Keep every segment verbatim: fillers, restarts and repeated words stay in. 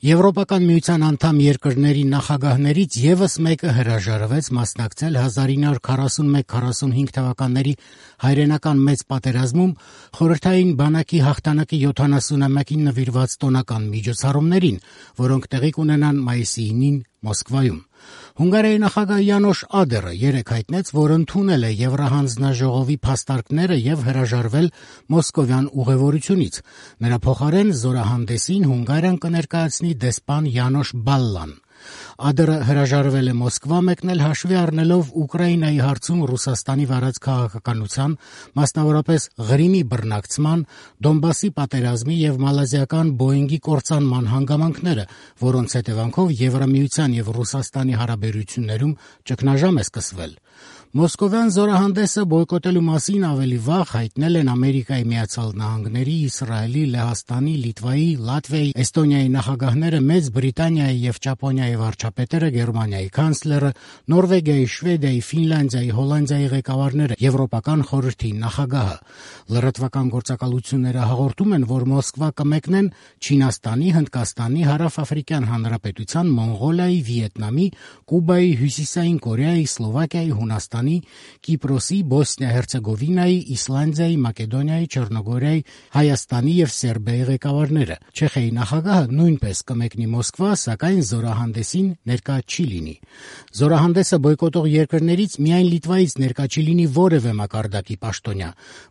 Եվրոպական միության անդամ երկրների նախագահներից ևս մեկը հրաժարվեց մասնակցել հազար ինը հարյուր քառասունմեկ քառասունհինգ թվականների հայրենական մեծ պատերազմում խորհրդային բանակի հաղթանակի յոթանասունամյակին նվիրված տոնական միջոցառումներին, որոնք տեղի կունենան մայիսի ինին Մոսկվայում։ Հունգարիայի նախագահ Յանոշ Ադերը երեկ հայտնեց, որ ընդունել է Եվրահանձնաժողովի փաստարկները եւ հրաժարվել մոսկովյան ուղևորությունից։ Նրա փոխարեն զորահանդեսին Հունգարիան կներկայացնի դեսպան Յանոշ Բալլան։ Ադերը հրաժարվել է Մոսկվա մեկնել հաշվի առնելով Ուկրաինայի հարցում Ռուսաստանի վարած քաղաքականության, մասնավորապես Ղրիմի բռնակցման, Դոնբասի պատերազմի եւ մալազիական Բոինգի կործանման հանգամանքները, որոնց հետևանքով Եվրամիության եւ Ռուսաստանի հարաբերություններում ճգնաժամ է սկսվել։ Մոսկովյան զորահանդեսը բոյկոտելու մասին ավելի վաղ հայտնել են Ամերիկայի Միացյալ Նահանգների, Իսրայելի, Լեհաստանի, Լիտվայի, Լատվիայի, Էստոնիայի նախագահները, Մեծ Բրիտանիայի եւ Ճապոնիայի վարչապետերը, Գերմանիայի կանցլերը, Նորվեգիայի, Շվեդիայի, Ֆինլանդիայի, Հոլանդիայի ղեկավարները, Եվրոպական խորհրդի նախագահը։ Լրատվական գործակալությունները հաղորդում են, որ Մոսկվա կմեկնեն Չինաստանի, Հնդկաստանի, Հարավաֆրիկյան Հանրապետության, Մոնղոլիայի, Վիետնամի, Կուբայի, Հյուսիսային Կորեայի, Սլովակիայի, Հունաստանի, Կիպրոսի, Բոսնիա-Հերցեգովինայի, Իսլանդիայի, Մակեդոնիայի, Չեռնոգորիայի, Հայաստանի եւ Սերբիայի ղեկավարները։ Չեխիայի նախագահը նույնպես կմեկնի Մոսկվա, սակայն զորահանդեսին ներկա չի լինի։ Զորահանդեսը բոյկոտող երկրներից միայն Լիտվայից ներկա չի լինի որևէ մակարդակի պաշտոնյա։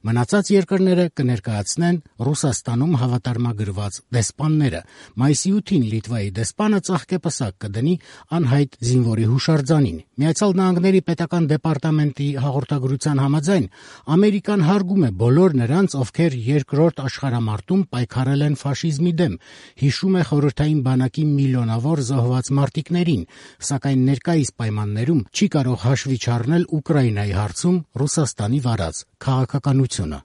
Մնացած երկրները կներկայացնեն Ռուսաստանում հավատարմագրված դեսպանները։ Մայիսի ութին Լիտվայի դեսպանը ծաղկեպսակ կդնի անհայտ զինվորի հուշարձանին։ Միացյալ Նահանգների պետական դեպարտամենտի հաղորդագրության համաձայն Ամերիկան հարգում է բոլոր նրանց, ովքեր երկրորդ աշխարհամարտում պայքարել են ֆաշիզմի դեմ, հիշում է խորհրդային բանակի միլիոնավոր զոհված մարտիկներին, սակայն ներկայիս պայմաններում չի կարող հաշվի չառնել Ուկրաինայի հարցում Ռուսաստանի վարած քաղաքականությունը։